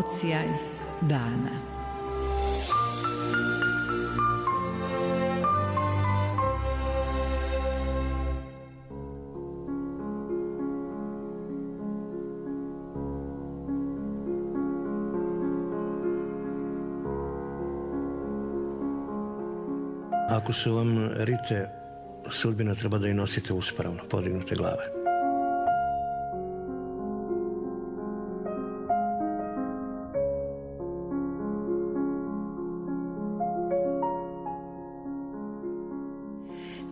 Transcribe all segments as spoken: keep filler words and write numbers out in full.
odsjaj dana. Ako su vam rite, sudbina treba da i nosite uspravno, podignute glave.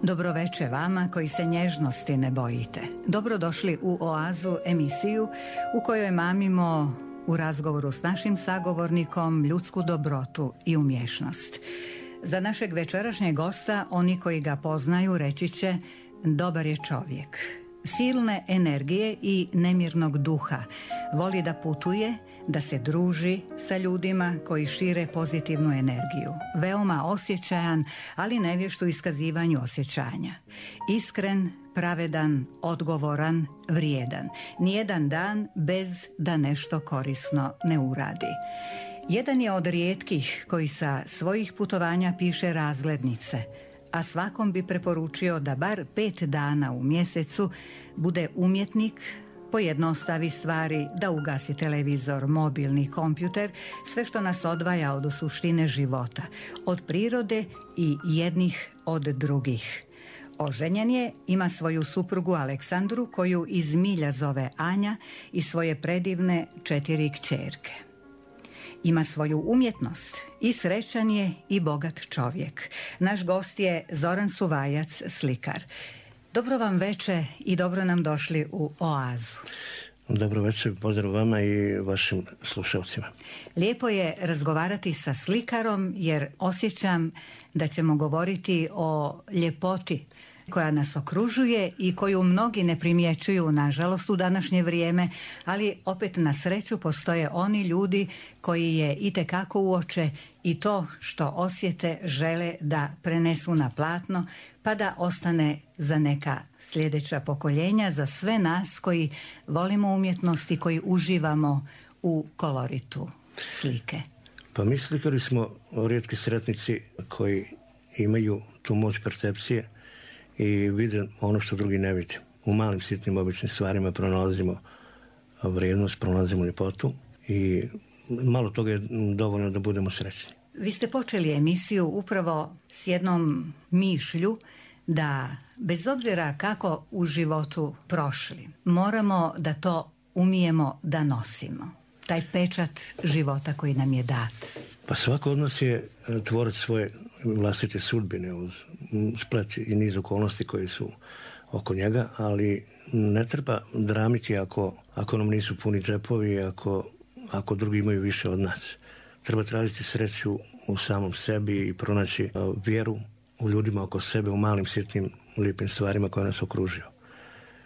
Dobroveče vama koji se nježnosti ne bojite. Dobrodošli u Oazu, emisiju u kojoj mamimo u razgovoru s našim sagovornikom ljudsku dobrotu i umješnost. Za našeg večerašnjeg gosta, oni koji ga poznaju reći će: dobar je čovjek, silne energije i nemirnog duha, voli da putuje, da se druži sa ljudima koji šire pozitivnu energiju, veoma osjećajan, ali nevješt u iskazivanju osjećanja, iskren, pravedan, odgovoran, vrijedan, nijedan dan bez da nešto korisno ne uradi. Jedan je od rijetkih koji sa svojih putovanja piše razglednice, a svakom bi preporučio da bar pet dana u mjesecu bude umjetnik, pojednostavi stvari, da ugasi televizor, mobilni, kompjuter, sve što nas odvaja od suštine života, od prirode i jednih od drugih. Oženjen je, ima svoju suprugu Aleksandru, koju iz milja zove Anja, i svoje predivne četiri kćerke. Ima svoju umjetnost i srećan je i bogat čovjek. Naš gost je Zoran Suvajac, slikar. Dobro vam veče i dobro nam došli u Oazu. Dobro večer, pozdrav vama i vašim slušalcima. Lijepo je razgovarati sa slikarom jer osjećam da ćemo govoriti o ljepoti koja nas okružuje i koju mnogi ne primjećuju, nažalost, u današnje vrijeme, ali opet na sreću postoje oni ljudi koji je itekako uoče i to što osjete žele da prenesu na platno, pa da ostane za neka sljedeća pokoljenja, za sve nas koji volimo umjetnost i koji uživamo u koloritu slike. Pa mi slikari smo rijetki sretnici koji imaju tu moć percepcije i vide ono što drugi ne vide. U malim sitnim običnim stvarima pronalazimo vrijednost, pronalazimo ljepotu i malo toga je dovoljno da budemo srećni. Vi ste počeli emisiju upravo s jednom mišlju da bez obzira kako u životu prošli, moramo da to umijemo da nosimo. Taj pečat života koji nam je dat. Pa svako od nas je tvorac svoje vlastite sudbine uz splet i niz okolnosti koji su oko njega, ali ne treba dramiti ako, ako nam nisu puni džepovi, ako, ako drugi imaju više od nas. Treba tražiti sreću u samom sebi i pronaći vjeru u ljudima oko sebe, u malim sitnim lijepim stvarima koje nas okružuju.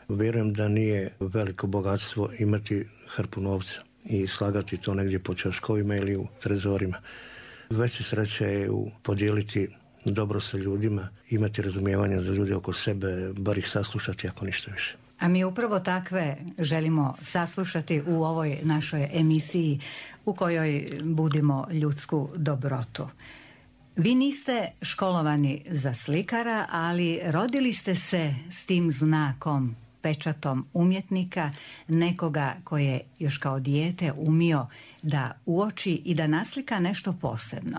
Vjerujem da nije veliko bogatstvo imati hrpu novca i slagati to negdje po ćoškovima ili u trezorima. Veća sreća je u podijeliti dobro sa ljudima, imati razumijevanja za ljude oko sebe, bar ih saslušati ako ništa više. A mi upravo takve želimo saslušati u ovoj našoj emisiji u kojoj budimo ljudsku dobrotu. Vi niste školovani za slikara, ali rodili ste se s tim znakom, pečatom umjetnika, nekoga koji je još kao dijete umio da uoči i da naslika nešto posebno.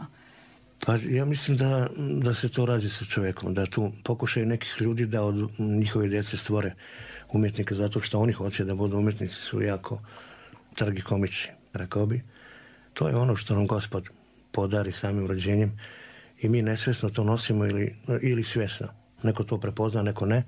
Pa ja mislim da, da se to radi sa čovjekom, da tu pokušaju nekih ljudi da od njihove djece stvore umjetnika, zato što oni hoće da budu umjetnici, su jako tragikomični, rekao bi. To je ono što nam Gospod podari samim rođenjem i mi nesvjesno to nosimo ili, ili svjesno. Neko to prepozna, neko ne,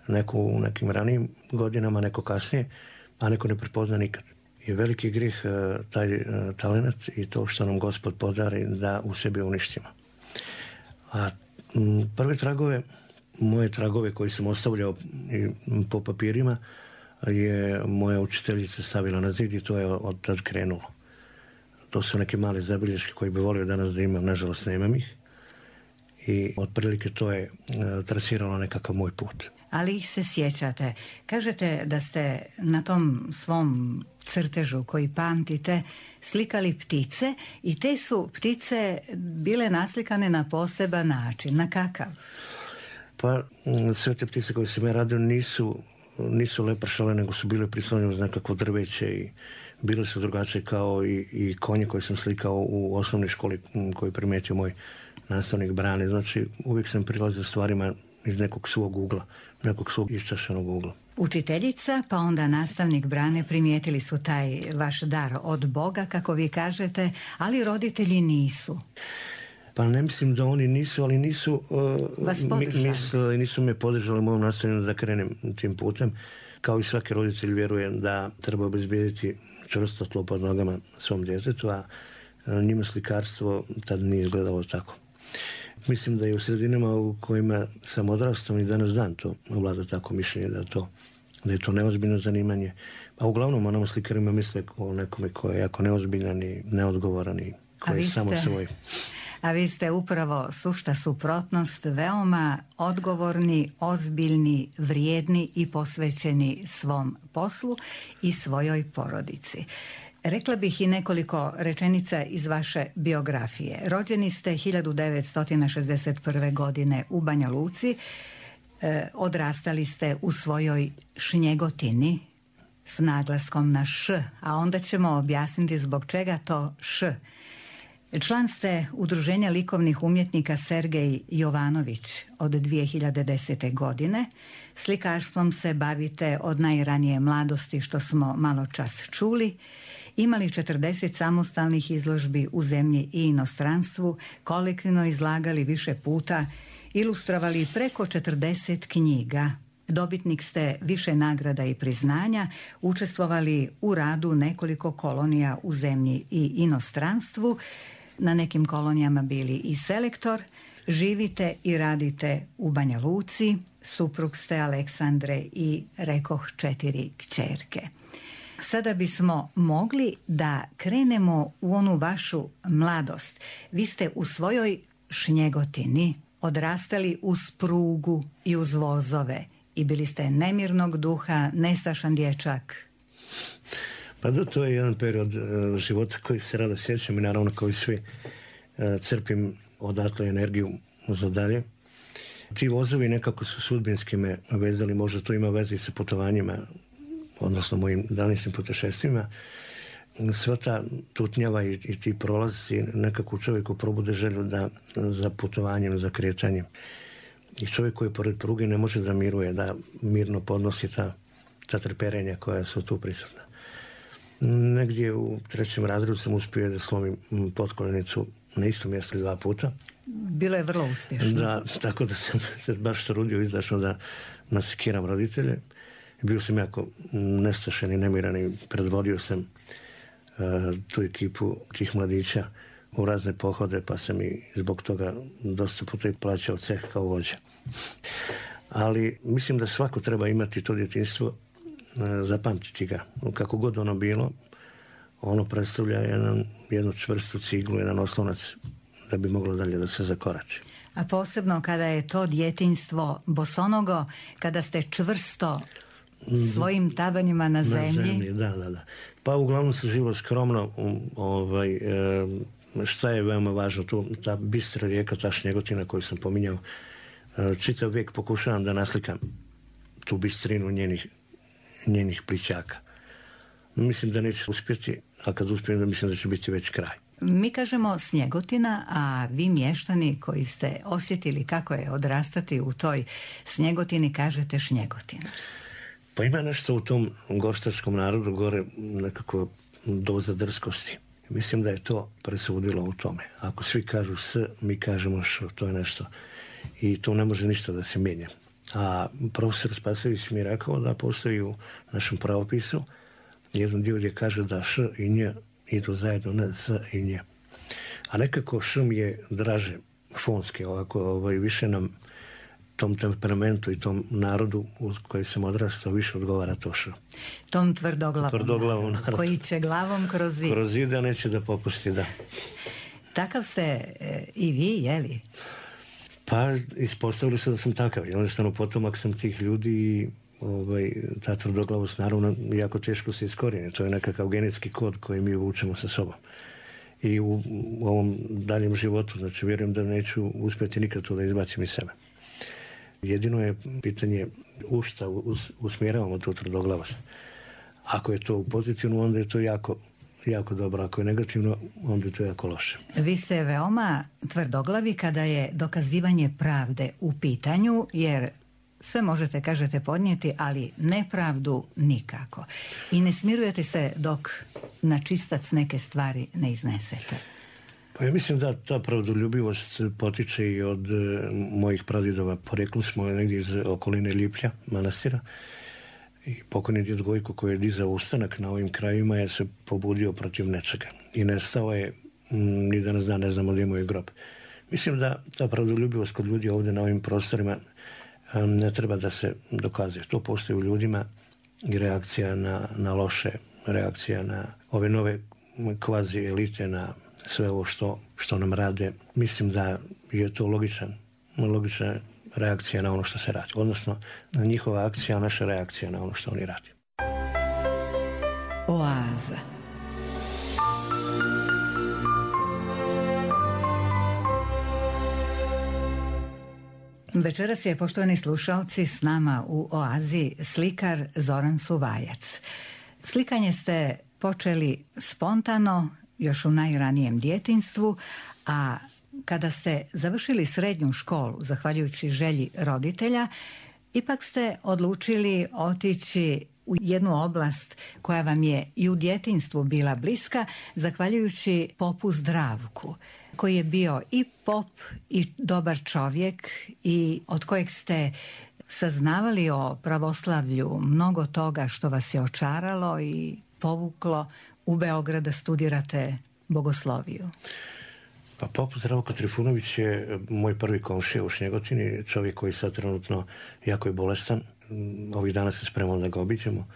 neko u nekim ranijim godinama, neko kasnije, a neko ne prepozna nikad. I veliki grih taj talent i to što nam Gospod podari da u sebi uništimo. A prve tragove, moje tragove koji sam ostavljao po papirima, je moja učiteljica stavila na zid i to je od tad krenulo. To su neke male zabilješke koje bi volio danas da imam, nažalost nemam ih. i otprilike to je trasiralo nekakav moj put. Ali ih se sjećate. Kažete da ste na tom svom crtežu koji pamtite slikali ptice i te su ptice bile naslikane na poseban način. Na kakav? Pa sve te ptice koje sam ja radio nisu, nisu lepršale, nego su bile prislonjene uz nekakvo drveće i bile su drugačije kao i, i konje koje sam slikao u osnovnoj školi koji je primijetio moj nastavnik Brane. Znači uvijek sam prilazio stvarima iz nekog svog ugla, nekog svog iščašenog ugla. Učiteljica, pa onda nastavnik Brane primijetili su taj vaš dar od Boga, kako vi kažete, ali roditelji nisu. Pa ne mislim da oni nisu, ali nisu Vas mi, mislili, nisu me podržali u mojom nastavljanju da krenem tim putem. Kao i svaki roditelj vjerujem da treba obezbijediti čvrsto tlo pod nogama svom djetetu, a njima slikarstvo tad nije izgledalo tako. Mislim da je u sredinama u kojima sam odrastao i danas dan to vlada tako mišljenje da, to, da je to neozbiljno zanimanje. A uglavnom onamo slikarima misle o nekome koji je jako neozbiljan i neodgovoran i koji je samo svoj. A vi ste upravo sušta suprotnost, veoma odgovorni, ozbiljni, vrijedni i posvećeni svom poslu i svojoj porodici. Rekla bih i nekoliko rečenica iz vaše biografije. Rođeni ste hiljadu devetsto šezdeset prve. godine u Banja Luci. E, odrastali ste u svojoj Šnjegotini s naglaskom na š, a onda ćemo objasniti zbog čega to š. Član ste Udruženja likovnih umjetnika Sergej Jovanović od dvije hiljade desete. godine. Slikarstvom se bavite od najranije mladosti, što smo malo čas čuli. Imali četrdeset samostalnih izložbi u zemlji i inostranstvu, kolektivno izlagali više puta, ilustrovali preko četrdeset knjiga. Dobitnik ste više nagrada i priznanja, učestvovali u radu nekoliko kolonija u zemlji i inostranstvu, na nekim kolonijama bili i selektor, živite i radite u Banja Luci, suprug ste Aleksandre i rekoh četiri kćerke. Sada bismo mogli da krenemo u onu vašu mladost. Vi ste u svojoj Šnjegotini odrastali uz prugu i uz vozove i bili ste nemirnog duha, nestašan dječak. Pa da, to je jedan period uh, života koji se rado sjećam i naravno kao i svi uh, crpim odatle energiju za dalje. Ti vozovi nekako su sudbinski me vezali, možda to ima veze sa putovanjima, odnosno mojim današnjim putešestvima. Sva ta tutnjava i, i ti prolazi nekako u čovjeku probude želju da za putovanjem, za kretanjem. I čovjek koji pored pruge ne može da miruje, da mirno podnosi ta, ta trperenja koja su tu prisutna. Negdje u trećem razredu sam uspio da slomim potkoljenicu na istom mjestu dva puta. Bilo je vrlo uspješno. Da, tako da sam se baš trudio izdašno da nasekiram roditelje. Bio sam jako nestašen i nemiran i predvodio sam uh, tu ekipu tih mladića u razne pohode, pa sam i zbog toga dosta puta i plaćao ceh kao vođa. Ali mislim da svako treba imati to djetinjstvo, uh, zapamtiti ga. Kako god ono bilo, ono predstavlja jedan, jednu čvrstu ciglu, jedan oslonac da bi moglo dalje da se zakorači. A posebno kada je to djetinjstvo bosonogo, kada ste čvrsto svojim tabanjima na zemlji. Na zemlji, da, da, da. Pa uglavnom se živo skromno, ovaj, e, šta je veoma važno tu, ta bistra rijeka, ta Šnjegotina koju sam pominjao, e, čitav vijek pokušavam da naslikam tu bistrinu njenih, njenih plićaka. Mislim da neće uspjeti, a kad uspijem da mislim da će biti već kraj. Mi kažemo Snjegotina, a vi mještani koji ste osjetili kako je odrastati u toj Snjegotini kažete Šnjegotina. Pa ima nešto u tom gostarskom narodu gore nekako doza drskosti. Mislim da je to presudilo u tome. Ako svi kažu s, mi kažemo š, to je nešto. I tu ne može ništa da se mijenja. A profesor Spasović mi je rekao da postoji u našem pravopisu jedan dio gdje kaže da š i nj idu zajedno, ne s i nj. A nekako š mi je draže fonske, ovako ovaj, više nam tom temperamentu i tom narodu u koji sam odrastao više odgovara to š. Tom tvrdoglavom, tvrdoglavom narodu, koji će glavom kroz zid. Kroz zid, a neće da popusti, da. Takav ste e, i vi, jeli? Pa ispostavili se da sam takav. Jednostavno potomak sam tih ljudi i ovaj, ta tvrdoglavost naravno jako teško se iskorijeni. To je nekakav genetski kod koji mi vučemo sa sobom. I u, u ovom daljem životu, znači vjerujem da neću uspjeti nikad to da izbacim iz sebe. Jedino je pitanje u šta us, usmjeravamo tu tvrdoglavost. Ako je to u pozitivno, onda je to jako, jako dobro. Ako je negativno, onda je to jako loše. Vi ste veoma tvrdoglavi kada je dokazivanje pravde u pitanju, jer sve možete, kažete, podnijeti, ali nepravdu nikako. I ne smirujete se dok na čistac neke stvari ne iznesete. Pa ja mislim da ta pravdoljubivost potiče i od e, mojih pradjedova. Poreklom smo negdje iz okoline Liplja, manastira. I pokojni djed Gojko koji je dizao ustanak na ovim krajima je se pobudio protiv nečega. I nestao je, m, ni danas dan ne znamo gdje mu je grob. Mislim da ta pravdoljubivost kod ljudi ovdje na ovim prostorima um, ne treba da se dokazuje. To postoji u ljudima i reakcija na, na loše, reakcija na ove nove kvazi elite, na sve ovo što, što nam rade. Mislim da je to logičan, logična reakcija na ono što se radi. Odnosno, na njihova akcija, a naša reakcija na ono što oni radi. Oaza. Večeras je, poštovani slušalci, s nama u Oazi slikar Zoran Suvajac. Slikanje ste počeli spontano, još u najranijem djetinjstvu, a kada ste završili srednju školu, zahvaljujući želji roditelja, ipak ste odlučili otići u jednu oblast koja vam je i u djetinjstvu bila bliska, zahvaljujući popu Zdravku, koji je bio i pop i dobar čovjek i od kojeg ste saznavali o pravoslavlju mnogo toga što vas je očaralo i povuklo u Beograd da studirate bogosloviju. Pa pop Zdravko Trifunović je moj prvi komšija u Šnjegotini, čovjek koji sad trenutno jako je bolestan. Ovih dana se spremamo da ga obiđemo.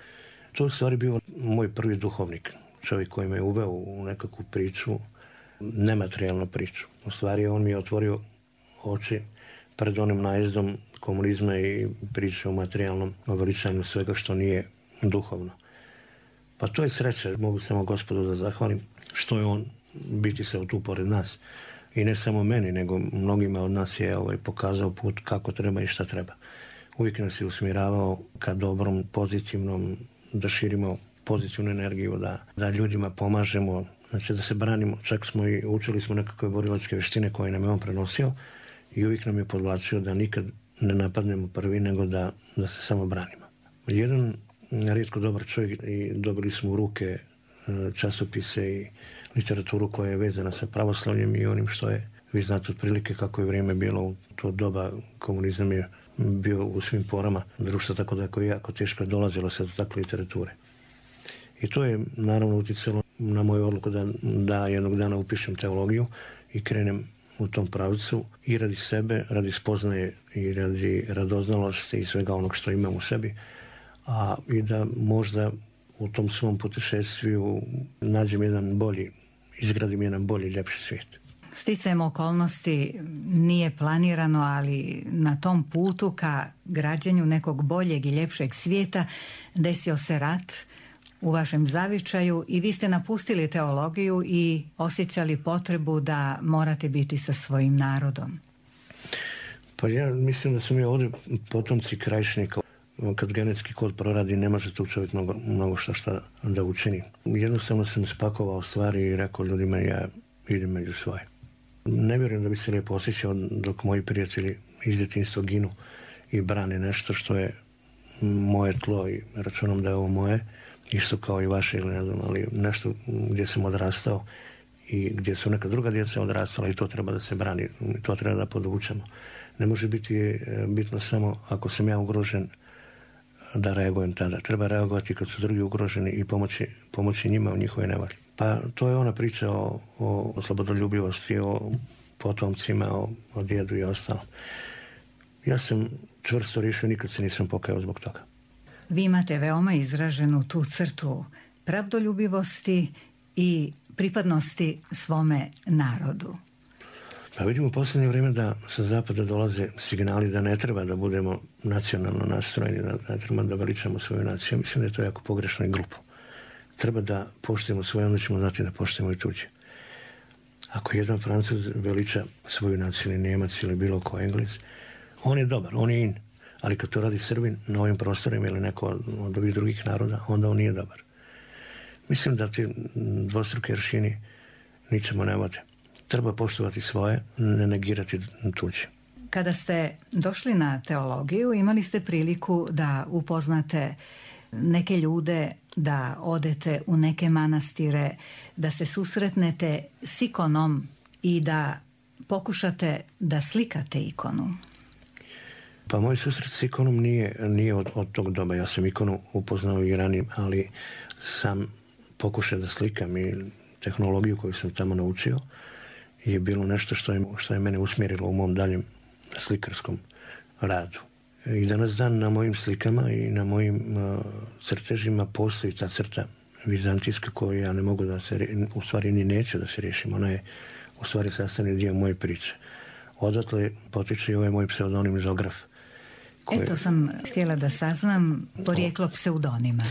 To u stvari bio moj prvi duhovnik, čovjek koji me uveo u nekakvu priču, nematerijalnu priču. U stvari on mi je otvorio oči pred onim najezdom komunizma i priče o materijalnom veličanju svega što nije duhovno. Pa to je sreća, mogu samo Gospodu da zahvalim, što je on biti se tu pored nas. I ne samo meni, nego mnogima od nas je ovaj, pokazao put kako treba i šta treba. Uvijek nas je usmjeravao ka dobrom, pozitivnom, da širimo pozitivnu energiju, da, da ljudima pomažemo, znači da se branimo. Čak smo i učili smo nekakve borilačke vještine koje nam je on prenosio i uvijek nam je podvlačio da nikad ne napadnemo prvi, nego da, da se samo branimo. Jedan rijetko dobar čovjek i dobili smo u ruke časopise i literaturu koja je vezana sa pravoslavljem i onim što je, vi znate otprilike kako je vrijeme bilo u to doba, komunizam je bio u svim porama društva, tako da je jako teško dolazilo se do takve literature. I to je naravno utjecalo na moju odluku da, da jednog dana upišem teologiju i krenem u tom pravcu i radi sebe, radi spoznaje i radi radoznalosti i svega onog što imam u sebi, a i da možda u tom svom putešestviju nađem jedan bolji, izgradim jedan bolji, ljepši svijet. Sticajem okolnosti nije planirano, ali na tom putu ka građenju nekog boljeg i ljepšeg svijeta desio se rat u vašem zavičaju i vi ste napustili teologiju i osjećali potrebu da morate biti sa svojim narodom. Pa ja mislim da su mi ovdje potomci Krajišnika. Kad genetski kod proradi, ne može tu čovjek mnogo, mnogo šta, šta da učini. Jednostavno sam spakovao stvari i rekao ljudima ja idem među svoje. Ne vjerujem da bi se lijepo osjećao dok moji prijatelji iz djetinjstva ginu i brane nešto što je moje tlo i računom da je ovo moje, isto kao i vaše ili ne znam, ali nešto gdje sam odrastao i gdje su neka druga djeca odrastala i to treba da se brani, to treba da podvučemo. Ne može biti bitno samo ako sam ja ugrožen da reagujem tada. Treba reagovati kad su drugi ugroženi i pomoći, pomoći njima u njihovoj nevolji. Pa to je ona priča o, o slobodoljubivosti, o potomcima, o, o djedu i ostalo. Ja sam čvrsto riješio, nikad se nisam pokajao zbog toga. Vi imate veoma izraženu tu crtu pravdoljubivosti i pripadnosti svome narodu. Pa vidimo u posljednje vrijeme da sa zapada dolaze signali da ne treba da budemo nacionalno nastrojeni, da ne treba da veličamo svoju naciju. Mislim da je to jako pogrešno i glupo. Treba da poštujemo svoje, onda ćemo znati da poštujemo i tuđe. Ako jedan Francuz veliča svoju naciju ili Njemac ili bilo ko Englez, on je dobar, on je in. Ali kad to radi Srbin na ovim prostorima ili neko od ovih drugih naroda, onda on nije dobar. Mislim da ti dvostruki aršini ničemu ne vode. Treba poštovati svoje, ne negirati tuđe. Kada ste došli na teologiju, imali ste priliku da upoznate neke ljude, da odete u neke manastire, da se susretnete s ikonom i da pokušate da slikate ikonu. Pa moj susret s ikonom nije, nije od, od tog doba. Ja sam ikonu upoznao i ranije, ali sam pokušao da slikam i tehnologiju koju sam tamo naučio je bilo nešto što je, što je mene usmjerilo u mom daljem slikarskom radu. I danas dan na mojim slikama i na mojim uh, crtežima postoji ta crta vizantijska koju ja ne mogu da se, u stvari ni neću da se riješim. Ona je u stvari sastavni dio moje priče. Odatle potiče i ovaj moj pseudonim Zograf. Koji... Eto sam htjela da saznam porijeklo pseudonima.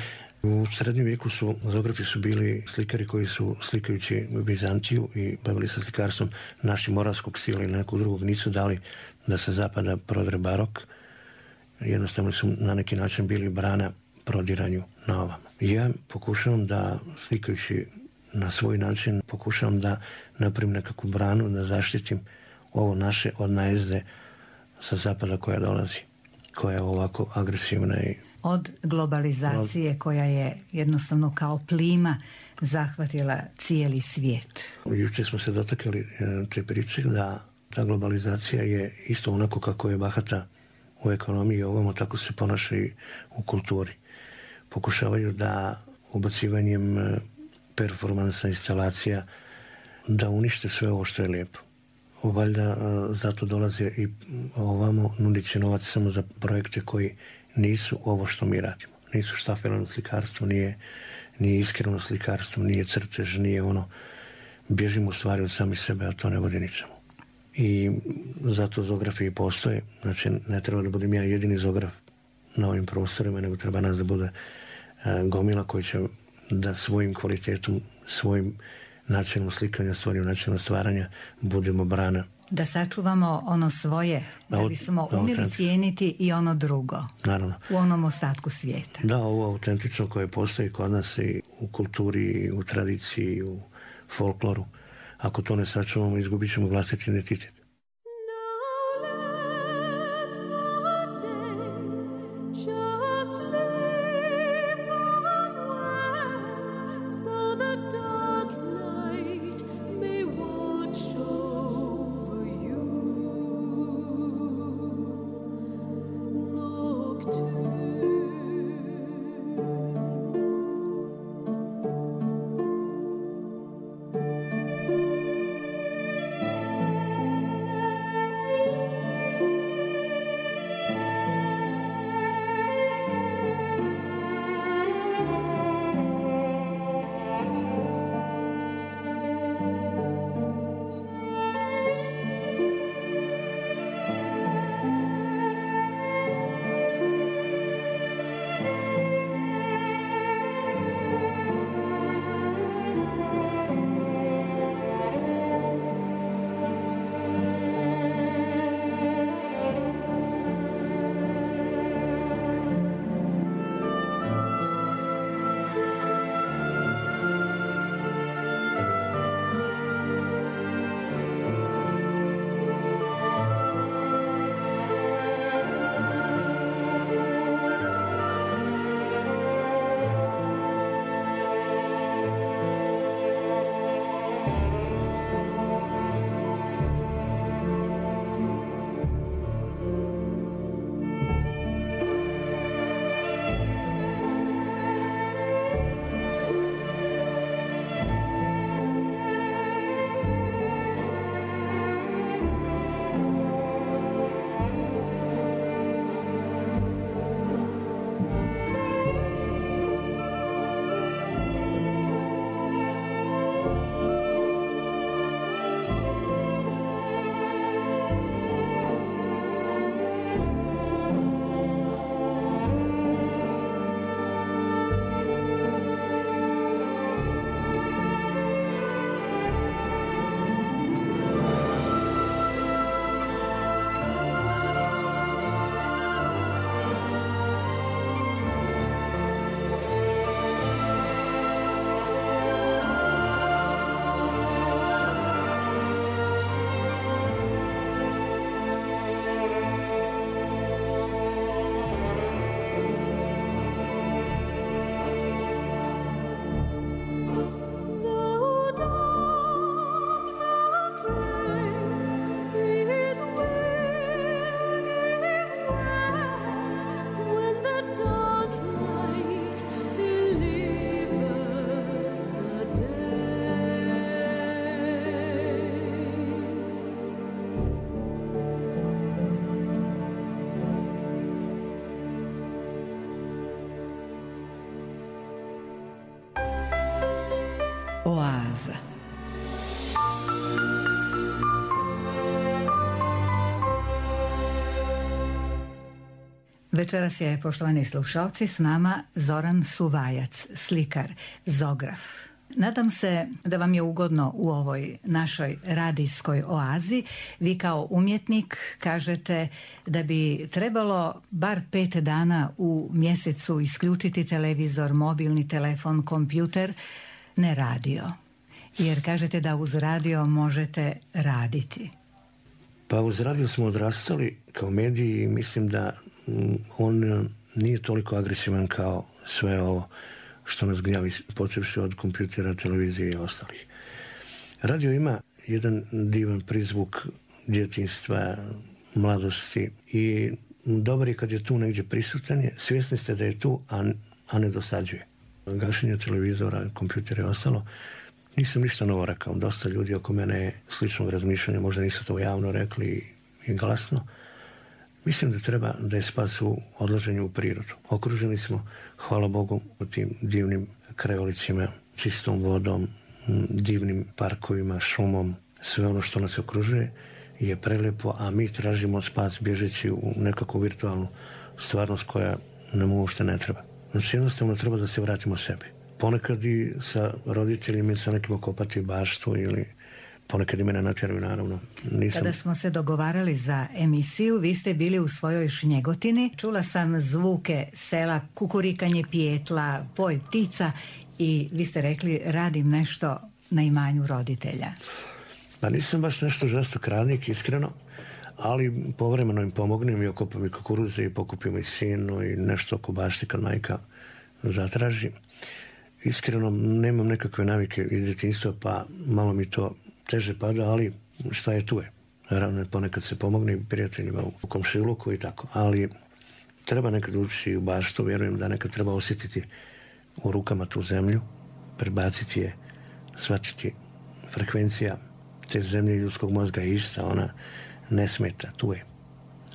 U srednjem vijeku su, Zografi su bili slikari koji su, slikajući Bizantiju i bavili se slikarstvom naših moravskog stila ili nekog drugog, nisu dali da se zapada prodre barok. Jednostavno su na neki način bili brana prodiranju na ovamo. Ja pokušavam da, slikajući na svoj način, pokušavam da napravim nekakvu branu, da zaštitim ovo naše od najezde sa zapada koja dolazi, koja je ovako agresivna i od globalizacije koja je jednostavno kao plima zahvatila cijeli svijet. Jučer smo se dotakli te priče da ta globalizacija je isto onako kako je bahata u ekonomiji i ovamo, tako se ponaša i u kulturi. Pokušavaju da ubacivanjem performansa, instalacija, da unište sve ovo što je lijepo. Valjda zato dolaze i ovamo nudići novac samo za projekte koji nisu ovo što mi radimo. Nisu štafelano slikarstvo, nije, nije iskreno slikarstvo, nije crtež, nije ono. Bježimo u stvari od sami sebe, a to ne vodi ničemu. I zato Zografi i postoje. Znači, ne treba da budem ja jedini Zograf na ovim prostorima, nego treba nas da bude uh, gomila koji će da svojim kvalitetom, svojim načinom slikanja, svojim načinom stvaranja budemo brana. Da sačuvamo ono svoje, da bismo umjeli cijeniti i ono drugo. Naravno. U onom ostatku svijeta. Da, ovo autentično koje postoji kod nas i u kulturi, i u tradiciji, i u folkloru. Ako to ne sačuvamo, izgubit ćemo vlastiti identitet. Oaza. Večeras je, poštovani slušalci, s nama Zoran Suvajac, slikar, zograf. Nadam se da vam je ugodno u ovoj našoj radijskoj oazi. Vi kao umjetnik kažete da bi trebalo bar pet dana u mjesecu isključiti televizor, mobilni telefon, kompjuter, ne radio. Jer kažete da uz radio možete raditi. Pa uz radio smo odrastali kao mediji i mislim da on nije toliko agresivan kao sve ovo što nas gnjavi, počevši od kompjutera, televizije i ostalih. Radio ima jedan divan prizvuk djetinjstva, mladosti i dobar je kad je tu negdje prisutan, svjesni ste da je tu, a, a ne dosađuje. Gašenje televizora, kompjutera i ostalo, nisam ništa novo rekao. Dosta ljudi oko mene je sličnog razmišljanja, možda nisu to javno rekli i glasno. Mislim da treba da je spas u odlaženju u prirodu. Okruženi smo, hvala Bogu, u tim divnim krajolicima, čistom vodom, divnim parkovima, šumom. Sve ono što nas okružuje je prelijepo, a mi tražimo spas bježeći u nekakvu virtualnu stvarnost koja nam uopšte ne treba. Znači jednostavno treba da se vratimo sebi. Ponekad i sa roditeljima i sa nekim okopati baštu ili ponekad i mene natjeraju, naravno. Nisam... Kada smo se dogovarali za emisiju, vi ste bili u svojoj Šnjegotini. Čula sam zvuke sela, kukurikanje pijetla, poj ptica i vi ste rekli radim nešto na imanju roditelja. Pa nisam baš nešto žestok radnik, iskreno, ali povremeno im pomognem i okopam i kukuruze i pokupim i sinu i nešto oko bašti kad majka zatraži. Iskreno nemam nekakve navike iz djetinjstva, pa malo mi to teže pada, ali šta je tu je. Naravno, ponekad se pomogne i prijateljima u komšiluku i tako, ali treba nekad ući u baštu, vjerujem da nekad treba osjetiti u rukama tu zemlju, prebaciti je, shvatiti frekvencija te zemlje ljudskog mozga je ista, ona ne smeta, tu je.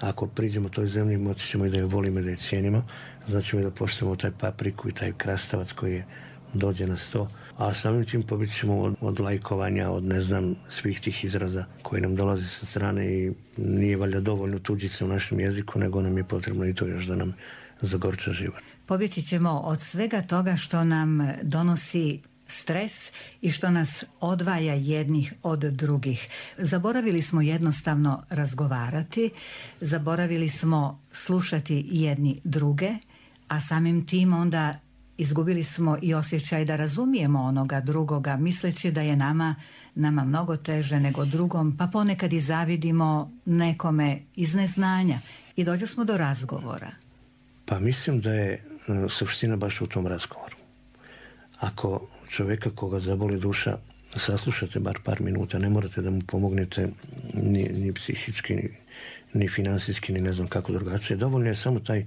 Ako priđemo toj zemlji, moći ćemo i da je volimo i da je cijenimo, znači da poštujemo taj papriku i taj krastavac koji je dođe na sto, a samim tim pobit ćemo od, od lajkovanja, od ne znam svih tih izraza koji nam dolaze sa strane i nije valjda dovoljno tuđice u našem jeziku, nego nam je potrebno i to još da nam zagorča život. Pobjeći ćemo od svega toga što nam donosi stres i što nas odvaja jednih od drugih. Zaboravili smo jednostavno razgovarati, zaboravili smo slušati jedni druge, a samim tim onda izgubili smo i osjećaj da razumijemo onoga drugoga, misleći da je nama, nama mnogo teže nego drugom, pa ponekad i zavidimo nekome iz neznanja i dođe smo do razgovora. Pa mislim da je suština baš u tom razgovoru. Ako čovjeka koga zaboli duša saslušate bar par minuta, ne morate da mu pomognete ni, ni psihički, ni, ni finansijski, ni ne znam kako drugačije. Dovoljno je samo taj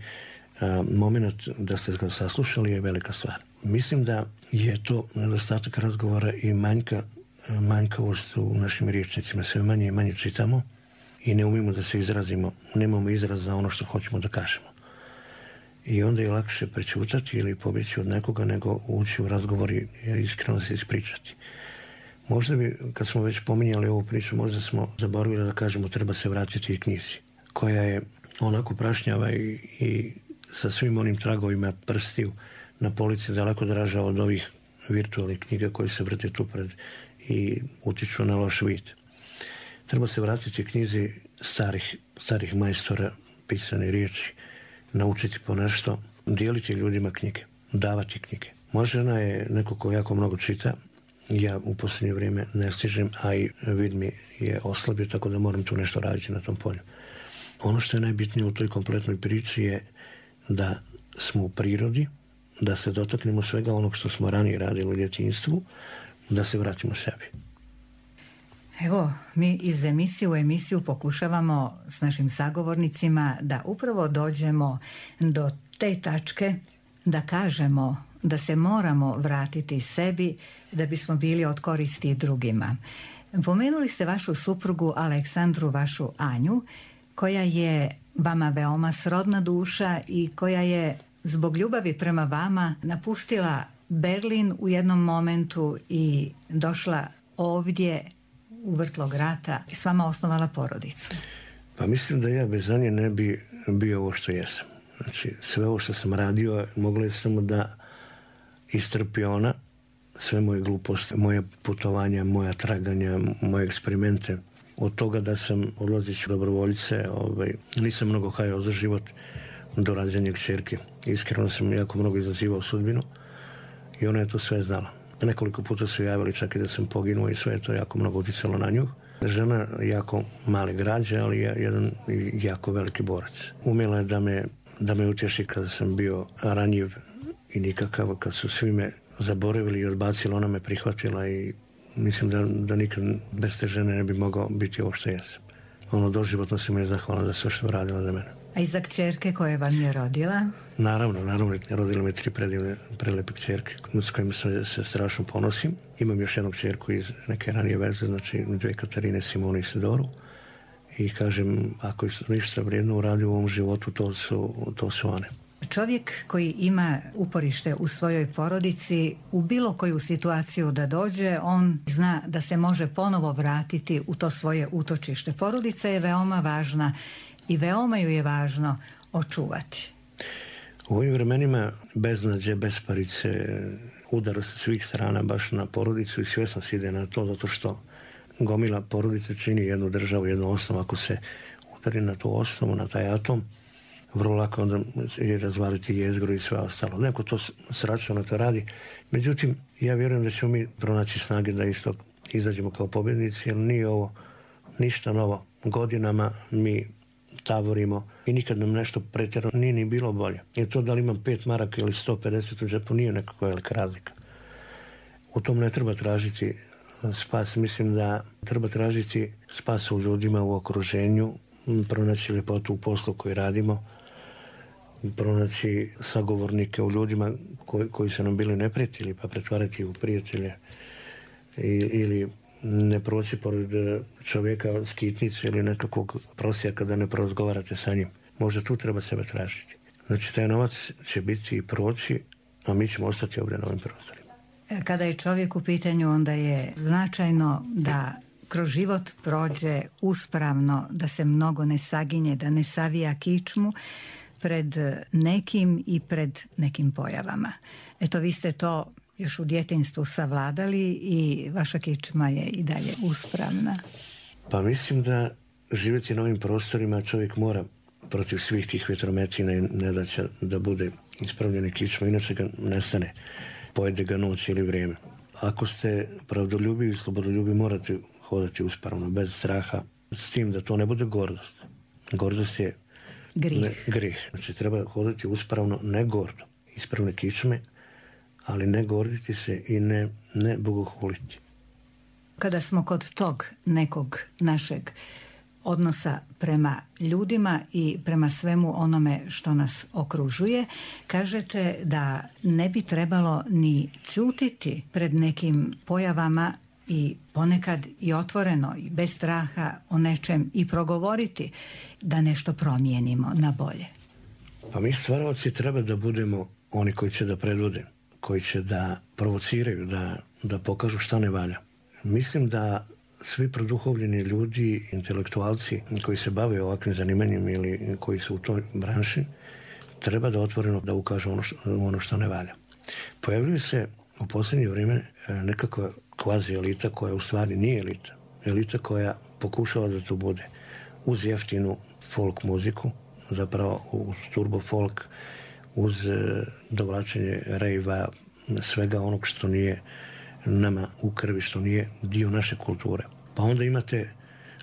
moment da ste ga saslušali je velika stvar. Mislim da je to nedostatak razgovora i manjka, manjkavost u našim riječnicima. Sve manje i manje čitamo i ne umimo da se izrazimo. Nemamo izraz za ono što hoćemo da kažemo. I onda je lakše prečutati ili pobjeći od nekoga nego ući u razgovor i iskreno se ispričati. Možda bi, kad smo već pominjali ovu priču, možda smo zaboravili da kažemo treba se vratiti i knjizi, koja je onako prašnjava i, i sa svim onim tragovima prstiju na polici daleko draža od ovih virtualnih knjiga koji se vrte tu pred i utiču na loš vid. Treba se vratiti knjizi starih, starih majstora pisane riječi, naučiti po nešto, dijeliti ljudima knjige, davati knjige. Moja žena je neko ko jako mnogo čita, ja u posljednje vrijeme ne stižem, a i vid mi je oslabio, tako da moram tu nešto raditi na tom polju. Ono što je najbitnije u toj kompletnoj priči je da smo u prirodi, da se dotaknemo svega onog što smo ranije radili u djetinjstvu, da se vratimo sebi. Evo, mi iz emisije u emisiju pokušavamo s našim sagovornicima da upravo dođemo do te tačke da kažemo da se moramo vratiti sebi da bismo bili od koristi drugima. Pomenuli ste vašu suprugu Aleksandru, vašu Anju, koja je vama veoma srodna duša i koja je zbog ljubavi prema vama napustila Berlin u jednom momentu i došla ovdje u vrtlog rata i s vama osnovala porodicu. Pa mislim da ja bez nje ne bi bio ovo što jesam. Znači, sve ovo što sam radio, moglo je samo da istrpi ona, sve moje gluposti, moje putovanja, moja traganja, moje eksperimente. Od toga da sam odlazeći dobrovoljice, ovaj, nisam mnogo hajao za život do rađenja kćerke. Iskreno sam jako mnogo izazivao sudbinu i ona je to sve znala. Nekoliko puta su javili čak i da sam poginuo i sve je to jako mnogo uticalo na nju. Žena jako male građe, ali je jedan jako veliki borac. Umjela je da me, da me utješi kada sam bio ranjiv i nikakav, kad su svi me zaboravili i odbacili, ona me prihvatila i mislim da, da nikad bez te žene ne bi mogao biti ovo što jesam. Ono, doživotno sam je zahvalna za sve što je radila za mene. A i za kćerke koje vam je rodila? Naravno, naravno. Rodila me tri predivne, prelepe kćerke s kojima se, se strašno ponosim. Imam još jednu kćerku iz neke ranije veze, znači dvije Katarine, Simonu i Sidoru. I kažem, ako je ništa vrijedno uradio u ovom životu, to su, to su one. Čovjek koji ima uporište u svojoj porodici, u bilo koju situaciju da dođe, on zna da se može ponovo vratiti u to svoje utočište. Porodica je veoma važna i veoma ju je važno očuvati. U ovim vremenima beznađe, besparice, udara sa svih strana baš na porodicu i svjesno se ide na to, zato što gomila porodice čini jednu državu, jednu osnovu. Ako se udari na tu osnovu, na taj atom, vrlo lako onda je razvaliti jezgru i sve ostalo. Neko to sračano to radi. Međutim, ja vjerujem da ćemo mi pronaći snage da isto izađemo kao pobjednici, jer nije ovo ništa novo. Godinama mi tavorimo i nikad nam nešto pretjerano nije ni bilo bolje. Jer to da li imam pet maraka ili sto pedeset u džepu nije nekakva velika razlika. U tom ne treba tražiti spas. Mislim da treba tražiti spas u ljudima, u okruženju, pronaći ljepotu u poslu koji radimo, pronaći sagovornike u ljudima koji, koji su nam bili neprijatelji, pa pretvarati u prijatelje I, ili ne proći pored čovjeka skitnicu ili nekakvog prosjaka da ne porazgovarate sa njim. Možda tu treba sebe tražiti. Znači, taj novac će biti i proći, a mi ćemo ostati ovdje na ovim prostorima. Kada je čovjek u pitanju, onda je značajno da kroz život prođe uspravno, da se mnogo ne saginje, da ne savija kičmu pred nekim i pred nekim pojavama. Eto, vi ste to još u djetinjstvu savladali i vaša kičma je i dalje uspravna. Pa mislim da živjeti na ovim prostorima čovjek mora protiv svih tih vjetrometina i nedaća da bude ispravljene kičma, inače ga nestane, pojede ga noć ili vrijeme. Ako ste pravdoljubi i slobodoljubi, morate hodati uspravno, bez straha, s tim da to ne bude gordost. Gordost je Grih. Ne, grih. Znači, treba hodati uspravno, ne gordo. Ispravne kičme, ali ne gorditi se i ne, ne bogohuliti. Kada smo kod tog nekog našeg odnosa prema ljudima i prema svemu onome što nas okružuje, kažete da ne bi trebalo ni ćutiti pred nekim pojavama i ponekad i otvoreno i bez straha o nečem i progovoriti da nešto promijenimo na bolje. Pa mi stvaraoci treba da budemo oni koji će da predvode, koji će da provociraju, da, da pokažu šta ne valja. Mislim da svi produhovljeni ljudi, intelektualci koji se bave ovakvim zanimanjem ili koji su u toj branši, treba da otvoreno da ukažu ono što, ono što ne valja. Pojavljuje se u posljednje vrijeme nekakva kvazi elita koja u stvari nije elita. Elita koja pokušava da to bude uz jeftinu folk muziku, zapravo uz turbo folk, uz dovlačenje rejva, svega onog što nije nama u krvi, što nije dio naše kulture. Pa onda imate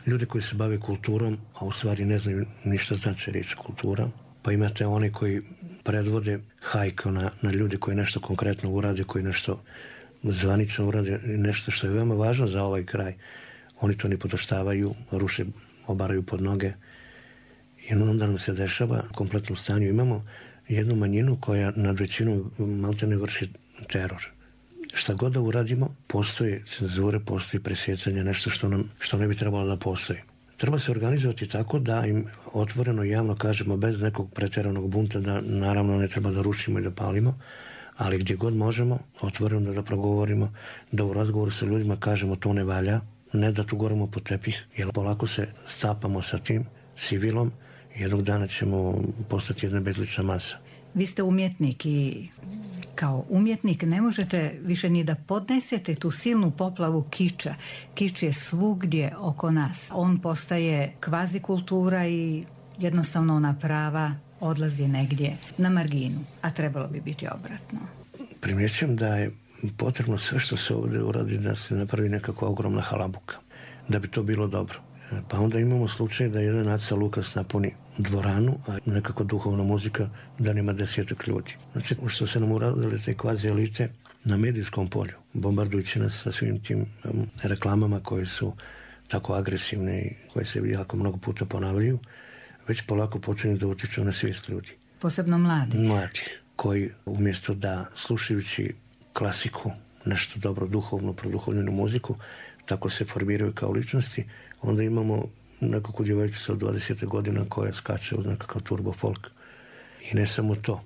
ljude koji se bave kulturom, a u stvari ne znaju ništa znači riječ kultura. Pa imate one koji predvode hajku na, na ljude koji nešto konkretno urade, koji nešto zvanično urade, nešto što je veoma važno za ovaj kraj. Oni to ne podoštavaju, ruše, obaraju pod noge. I onda nam se dešava u kompletnom stanju. Imamo jednu manjinu koja nad većinom maltene vrši teror. Šta god da uradimo, postoji cenzure, postoji presjecanje, nešto što, nam, što ne bi trebalo da postoji. Treba se organizovati tako da im otvoreno i javno kažemo bez nekog pretjeranog bunta da naravno ne treba da rušimo i da palimo, ali gdje god možemo, otvoreno da progovorimo, da u razgovoru sa ljudima kažemo to ne valja, ne da tu gorimo po tepih, jer polako se stapamo sa tim sivilom i jednog dana ćemo postati jedna bezlična masa. Vi ste umjetnik i kao umjetnik ne možete više ni da podnesete tu silnu poplavu kiča. Kič je svugdje oko nas. On postaje kvazi kultura i jednostavno ona prava odlazi negdje na marginu, a trebalo bi biti obratno. Primjećujem da je potrebno sve što se ovdje uradi da se napravi nekakva ogromna halabuka, da bi to bilo dobro. Pa onda imamo slučaj da jedan Aca Lukas napuni dvoranu, a nekako duhovna muzika da nema desetak ljudi. Znači, što se nam uradile te kvazi elite na medijskom polju, bombardujući nas sa svim tim um, reklamama koje su tako agresivne i koje se jako mnogo puta ponavljaju, već polako počinju da utiču na svijest ljudi. Posebno mladih. Mladih, koji umjesto da slušajući klasiku, nešto dobro duhovno, produhovljenu muziku, tako se formiraju kao ličnosti, onda imamo nekakvu djevojčicu od dvadeset godina koja skače uz nekakav turbo folk. I ne samo to,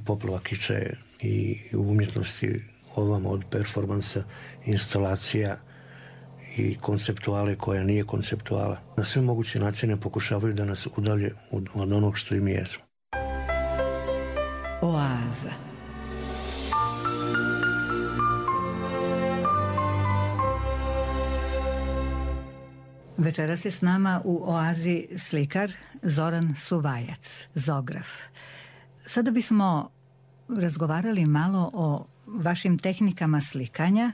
poplava kiča je i u umjetnosti ovamo od performansa, instalacija i konceptuale koja nije konceptuala. Na sve moguće načine pokušavaju da nas udalje od onog što im jesmo. Oaza. Večeras je s nama u Oazi slikar Zoran Suvajac, Zograf. Sada bismo razgovarali malo o vašim tehnikama slikanja.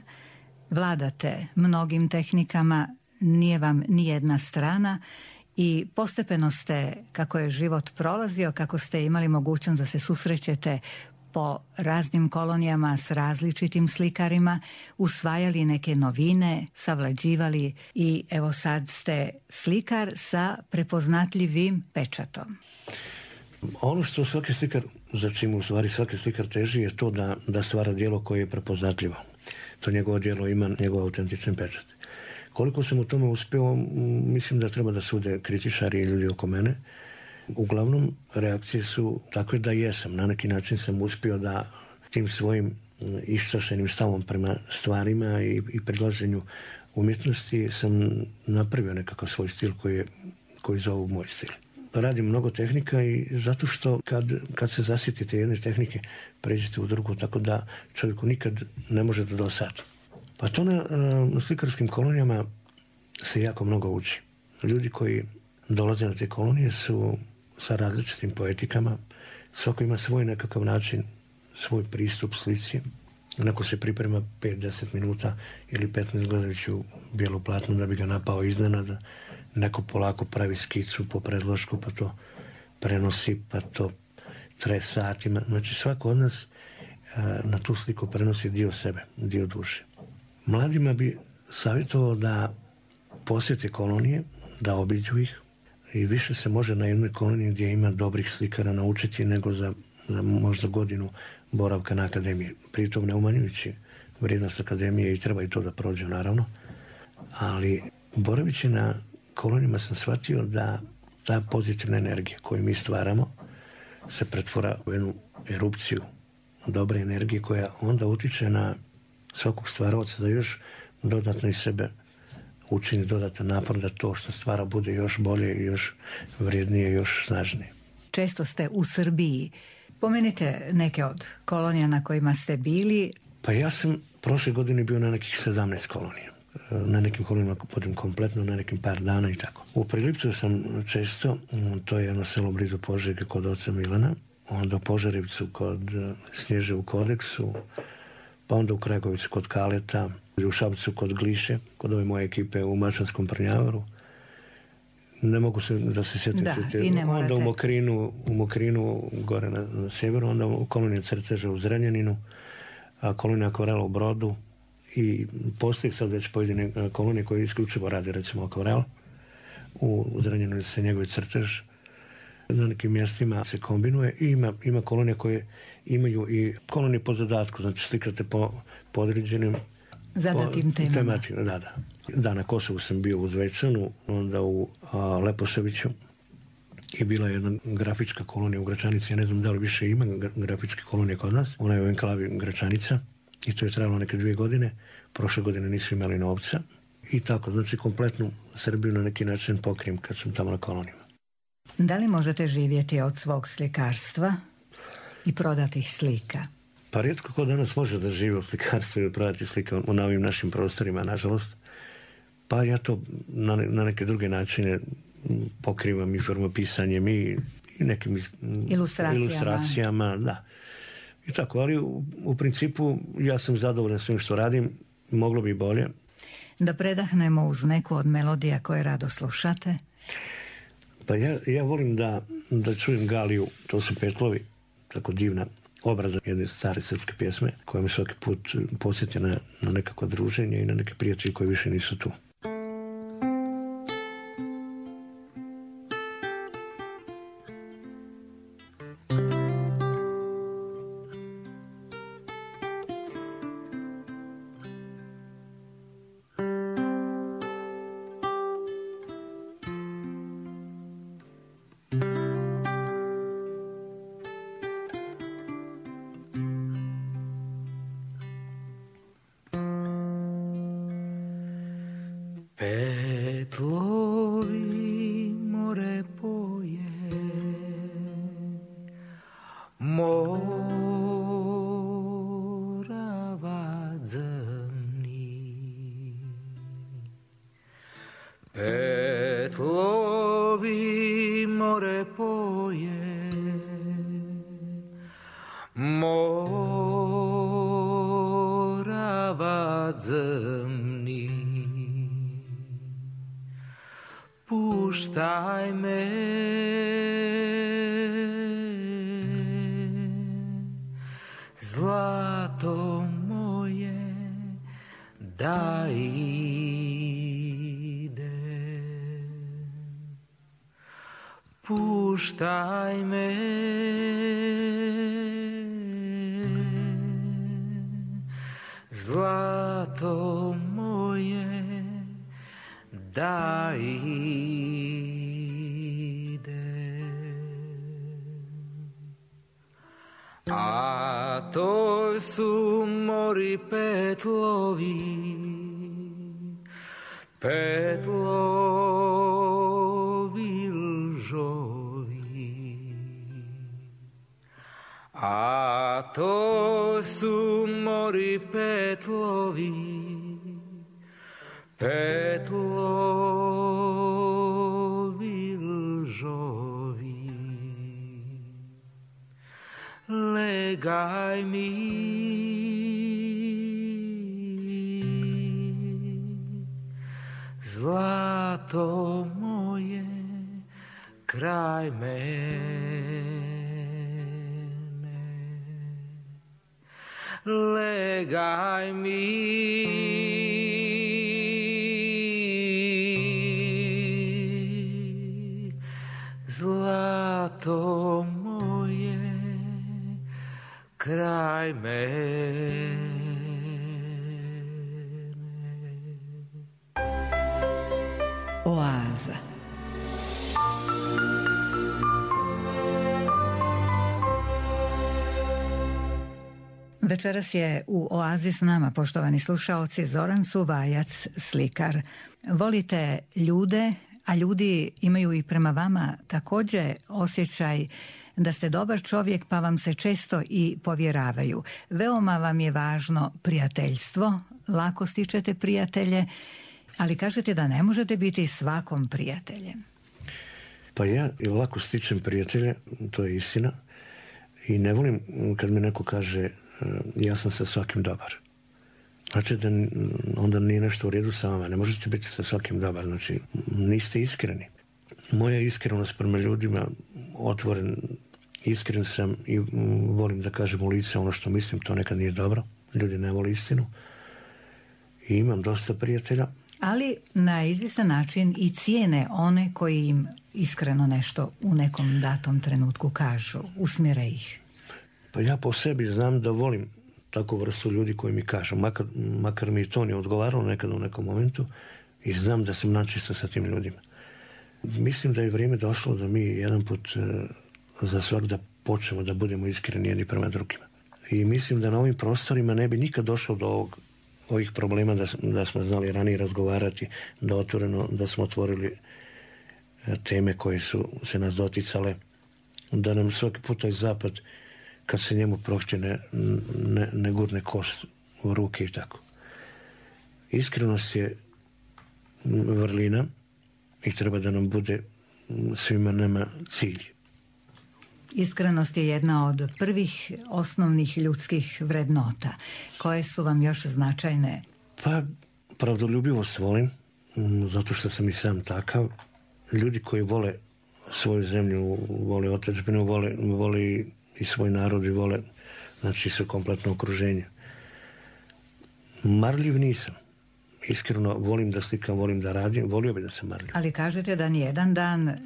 Vladate mnogim tehnikama, nije vam ni jedna strana i postepeno ste, kako je život prolazio, kako ste imali mogućnost da se susrećete po raznim kolonijama s različitim slikarima, usvajali neke novine, savlađivali i evo sad ste slikar sa prepoznatljivim pečatom. Ono što svaki slikar, za čim u stvari svaki slikar teži, je to da, da stvara djelo koje je prepoznatljivo. To njegovo djelo ima njegov autentičan pečat. Koliko sam u tome uspio, mislim da treba da sude kritičari i ljudi oko mene. Uglavnom, reakcije su takve da jesam. Na neki način sam uspio da tim svojim iščašenim stavom prema stvarima i, i predlaženju umjetnosti sam napravio nekakav svoj stil koji, je, koji zovu moj stil. Radim mnogo tehnika i zato što kad, kad se zasjetite jedne tehnike, pređete u drugu, tako da čovjeku nikad ne može da dosadi. Pa to na, na slikarskim kolonijama se jako mnogo uči. Ljudi koji dolaze na te kolonije su sa različitim poetikama. Svako ima svoj nekakav način, svoj pristup slici. Neko se priprema pet do deset minuta ili petnaest gledajući u bijelu platnu da bi ga napao iznenada. Neko polako pravi skicu po predlošku, pa to prenosi, pa to traje satima. Znači svako od nas na tu sliku prenosi dio sebe, dio duše. Mladima bi savjetovao da posjete kolonije, da obiđu ih i više se može na jednoj koloniji gdje ima dobrih slikara naučiti nego za, za možda godinu boravka na akademiji. Pritom ne umanjujući vrijednost akademije i treba i to da prođe naravno, ali boravići na kolonijama sam shvatio da ta pozitivna energija koju mi stvaramo se pretvora u jednu erupciju dobre energije koja onda utiče na svakog stvaraoca da još dodatno iz sebe učini dodatan napor da to što stvara bude još bolje, još vrijednije, još snažnije. Često ste u Srbiji. Pomenite neke od kolonija na kojima ste bili. Pa ja sam prošle godine bio na nekih sedamnaest kolonija. Na nekim kolonijama budem kompletno, na nekim par dana i tako. U Prilipcu sam često, to je jedno selo blizu Požege kod oca Milana, onda u Požarevcu kod Snježe u Kodeksu, pa onda u Kragovicu kod Kaleta, u Šapcu kod Gliše, kod ove moje ekipe u Mačanskom Prnjavaru. Ne mogu se da se sjetim. Da, i ne morate. Onda u Mokrinu, u Mokrinu gore na, na sjeveru, onda u koloniji Crteža u Zrenjaninu, a kolonija Akvarela u Brodu i postoji sad već pojedine kolonije koje isključivo rade, recimo Akvarel. U, u Zrenjaninu se njegove Crtež. Na nekim mjestima se kombinuje i ima, ima kolonije koje imaju i kolonije po zadatku, znači slikate po, po određenim zadatim temama. Tematima, da, da. Da, na Kosovu sam bio u Zvečanu, onda u a, Leposaviću, i bila je jedna grafička kolonija u Gračanici. Ja ne znam da li više ima grafičke kolonije kod nas. Ona je u enklavi Gračanica i to je trajalo neke dvije godine. Prošle godine nisu imali novca. I tako, znači kompletnu Srbiju na neki način pokrijem kad sam tamo na kolonijama. Da li možete živjeti od svog slikarstva i prodatih slika? Pa rijetko ko danas može da živi od slikarstva i prodati slike na ovim našim prostorima, nažalost. Pa ja to na, na neke druge načine pokrivam i formopisanjem i, i nekim ilustracijama. ilustracijama, da. I tako, ali u, u principu ja sam zadovoljan svim što radim, moglo bi bolje. Da predahnemo uz neku od melodija koje rado slušate? Pa ja, ja volim da, da čujem Galiju, to su Petlovi, tako divna obrada jedne stare srpske pjesme koja me svaki put podsjeti na, na nekako druženje i na neke prijatelje koji više nisu tu. Petlovi more poje, Morava dzrni. Petlovi more poje, Morava dzrni. Puštaj me, zlato moje, da idem. Puštaj me, zlato moje, da idem. A to su mori petlovi, petlovi lžovi. A to su mori petlovi, petlovi lžovi. Legaj mi, zlato moje, kraj mene. Legaj mi, zlato moje, kraj mene. Oaza. Večeras je u Oazi s nama, poštovani slušaoci, Zoran Suvajac, slikar. Volite ljude, a ljudi imaju i prema vama također osjećaj da ste dobar čovjek, pa vam se često i povjeravaju. Veoma vam je važno prijateljstvo, lako stičete prijatelje, ali kažete da ne možete biti svakom prijateljem. Pa ja lako stičem prijatelje, to je istina, i ne volim kad mi neko kaže ja sam sa svakim dobar. Znači da onda nije nešto u redu sa vama. Ne možete biti sa svakim dobar. Znači niste iskreni. Moja iskrenost prema ljudima, otvoren, iskren sam i volim da kažem u lice ono što mislim, to nekad nije dobro. Ljudi ne vole istinu. I imam dosta prijatelja. Ali na izvjestan način i cijene one koji im iskreno nešto u nekom datom trenutku kažu, usmjere ih. Pa ja po sebi znam da volim takvu vrstu ljudi koji mi kažu, makar, makar mi to ne odgovaralo nekad u nekom momentu, i znam da sam načisto sa tim ljudima. Mislim da je vrijeme došlo da mi jedan put za svak da počnemo da budemo iskreni jedni prema drugima. I mislim da na ovim prostorima ne bi nikad došlo do ovog, ovih problema da, da smo znali ranije razgovarati, da otvoreno, da smo otvorili teme koje su se nas doticale, da nam svaki put taj zapad, kad se njemu prohće, ne, ne, ne gurne kost u ruke i tako. Iskrenost je vrlina i treba da nam bude svima nama cilj. Iskrenost je jedna od prvih osnovnih ljudskih vrednota. Koje su vam još značajne? Pa, pravdoljubivost volim, zato što sam i sam takav. Ljudi koji vole svoju zemlju, vole otadžbinu, vole, vole i svoj narod i vole, znači, sve kompletno okruženje. Marljiv nisam. Iskreno volim da slikam, volim da radim, volio bi da sam marljiv. Ali kažete da nijedan dan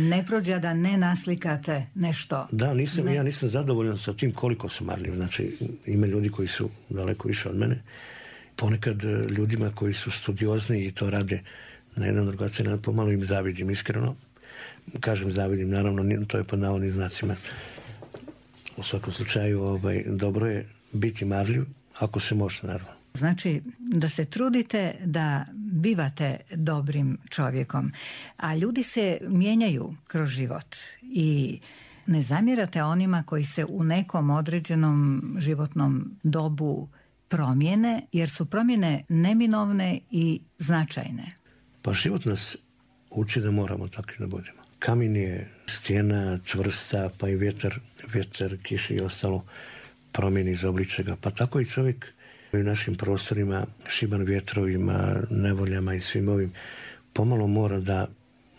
ne prođe da ne naslikate nešto. Da, nisam, ne. ja nisam zadovoljan sa tim koliko sam marljiv. Znači, ima ljudi koji su daleko više od mene. Ponekad ljudima koji su studiozni i to rade na jedan drugačiji način, pomalo im zavidim, iskreno. Kažem zavidim, naravno, to je pod navodnim znacima. U svakom slučaju, ovaj, dobro je biti marljiv, ako se može, naravno. Znači da se trudite da bivate dobrim čovjekom, a ljudi se mijenjaju kroz život i ne zamjerate onima koji se u nekom određenom životnom dobu promijene, jer su promjene neminovne i značajne. Pa život nas uči da moramo takvi da budemo. Kamen je stijena čvrsta, pa i vjetar, vjetar, kiša i ostalo promijeni iz obličega. Pa tako i čovjek u našim prostorima, šiban vjetrovima, nevoljama i svim ovim, pomalo mora da,